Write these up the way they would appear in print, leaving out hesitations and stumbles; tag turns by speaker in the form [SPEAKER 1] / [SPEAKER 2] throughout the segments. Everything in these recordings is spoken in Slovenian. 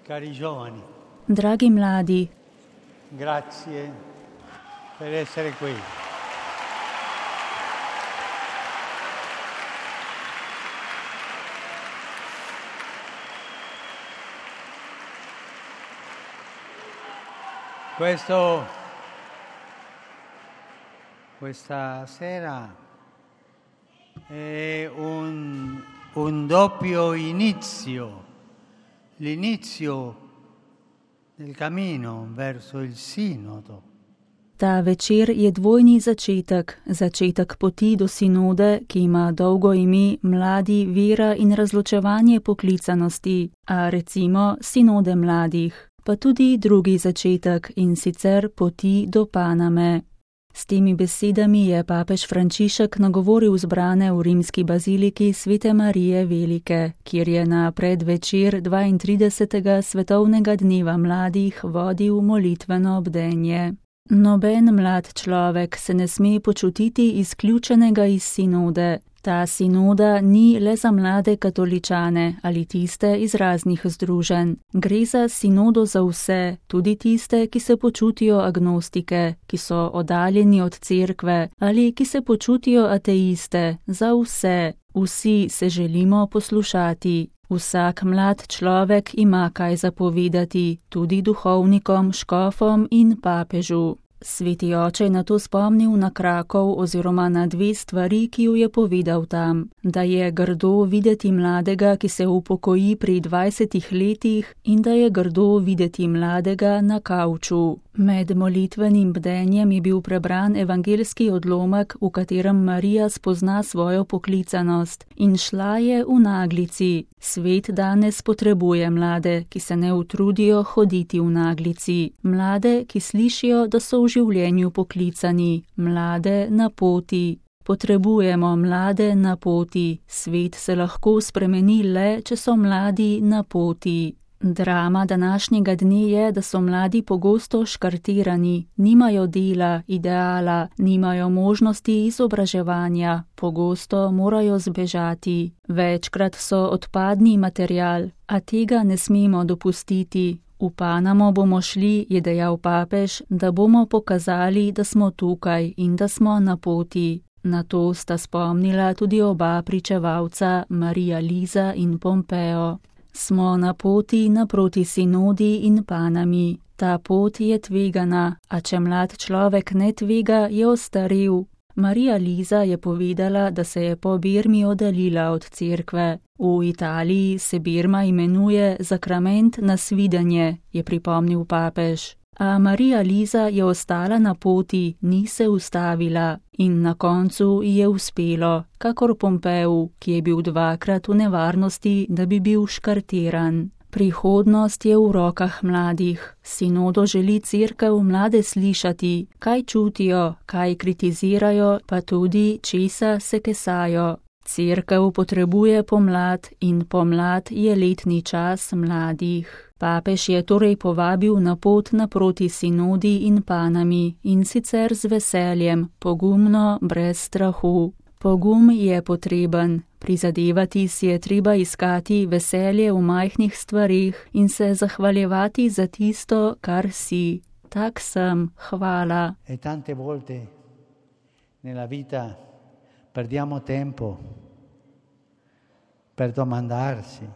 [SPEAKER 1] Cari giovani,
[SPEAKER 2] Dragi mladi,
[SPEAKER 1] grazie per essere qui. Questa sera è un doppio inizio, l'inizio del cammino verso il sinodo.
[SPEAKER 2] ta večer je dvojni začetek, začetek poti do sinode, ki ima dolgo ime Mladi, vera in razločevanje poklicanosti, a recimo sinode mladih, pa tudi drugi začetek, in sicer poti do Paname. S temi besedami je papež Frančišek nagovoril zbrane v rimski baziliki Svete Marije Velike, kjer je na predvečer 32. svetovnega dneva mladih vodil molitveno bdenje. Noben mlad človek se ne sme počutiti izključenega iz sinode. Ta sinoda ni le za mlade katoličane ali tiste iz raznih združenj. Gre za sinodo za vse, tudi tiste, ki se počutijo agnostike, ki so oddaljeni od cerkve ali ki se počutijo ateiste. Za vse. Vsi se želimo poslušati. Vsak mlad človek ima kaj zapovedati, tudi duhovnikom, škofom in papežu. Sveti oče je nato spomnil na Krakov oziroma na dve stvari, ki ju je povedal tam. Da je grdo videti mladega, ki se upokoji pri 20 letih, in da je grdo videti mladega na kavču. Med molitvenim bdenjem je bil prebran evangeljski odlomek, v katerem Marija spozna svojo poklicanost in šla je v naglici. Svet danes potrebuje mlade, ki se ne utrudijo hoditi v naglici. Mlade, ki slišijo, da so v življenju poklicani. Mlade na poti. Potrebujemo mlade na poti. Svet se lahko spremeni le, če so mladi na poti. Drama današnjega dne je, da so mladi pogosto škartirani, nimajo dela, ideala, nimajo možnosti izobraževanja, pogosto morajo zbežati. Večkrat so odpadni material, a tega ne smemo dopustiti. V Panamo bomo šli, je dejal papež, da bomo pokazali, da smo tukaj in da smo na poti. Na to sta spomnila tudi oba pričevalca, Marija Liza in Pompeo. Smo na poti naproti sinodi in Panami. Ta pot je tvegana, a če mlad človek ne tvega, je ostarel. Marija Liza je povedala, da se je po Birmi oddaljila od cerkve. V Italiji se Birma imenuje zakrament na svidenje, je pripomnil papež. A Marija Liza je ostala na poti, ni se ustavila in na koncu je uspelo, kakor Pompeu, ki je bil dvakrat v nevarnosti, da bi bil škartiran. Prihodnost je v rokah mladih. Sinodo želi cerkev mlade slišati, kaj čutijo, kaj kritizirajo, pa tudi česa se kesajo. Cerkev potrebuje pomlad in pomlad je letni čas mladih. Papež je torej povabil na pot naproti sinodi in Panami, in sicer z veseljem, pogumno, brez strahu. Pogum je potreben, prizadevati si je treba iskati veselje v majhnih stvarih in se zahvaljevati za tisto, kar si. Tak sem, hvala.
[SPEAKER 1] E tante volte nella vita perdiamo tempo per domandarci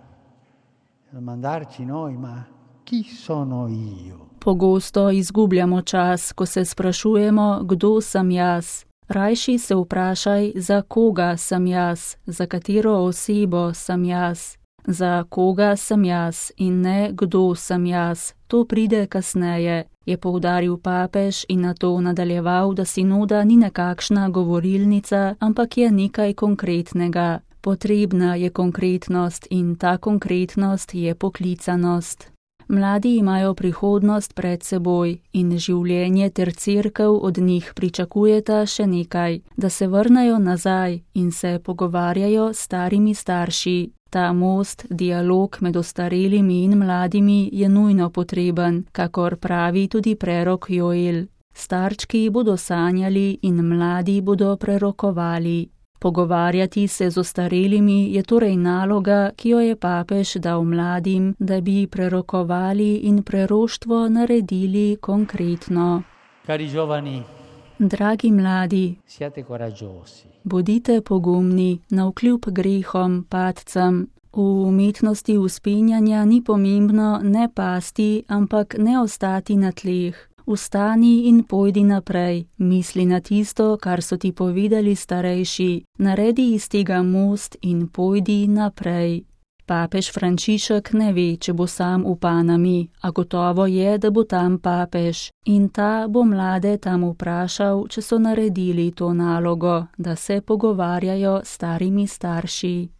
[SPEAKER 1] noi, ma chi sono io?
[SPEAKER 2] Pogosto izgubljamo čas, ko se sprašujemo, kdo sem jaz. Rajši se vprašaj, za koga sem jaz, za katero osebo sem jaz. Za koga sem jaz in ne kdo sem jaz. To pride kasneje, je poudaril papež in nato nadaljeval, da sinoda ni nekakšna govorilnica, ampak je nekaj konkretnega. Potrebna je konkretnost in ta konkretnost je poklicanost. Mladi imajo prihodnost pred seboj in življenje ter cerkev od njih pričakujeta še nekaj, da se vrnejo nazaj in se pogovarjajo s starimi starši. Ta most, dialog med ostarelimi in mladimi je nujno potreben, kakor pravi tudi prerok Joel. Starčki bodo sanjali in mladi bodo prerokovali. Pogovarjati se z ostarelimi je torej naloga, ki jo je papež dal mladim, da bi prerokovali in preroštvo naredili konkretno.
[SPEAKER 1] Cari giovani,
[SPEAKER 2] Dragi mladi,
[SPEAKER 1] siate coraggiosi.
[SPEAKER 2] bodite pogumni navkljub grehom, padcem. V umetnosti vzpenjanja ni pomembno ne pasti, ampak ne ostati na tleh. Vstani in pojdi naprej, misli na tisto, kar so ti povedali starejši, naredi iz tega most in pojdi naprej. Papež Frančišek ne ve, če bo sam v Panami, a gotovo je, da bo tam papež. In ta bo mlade tam vprašal, če so naredili to nalogo, da se pogovarjajo s starimi starši.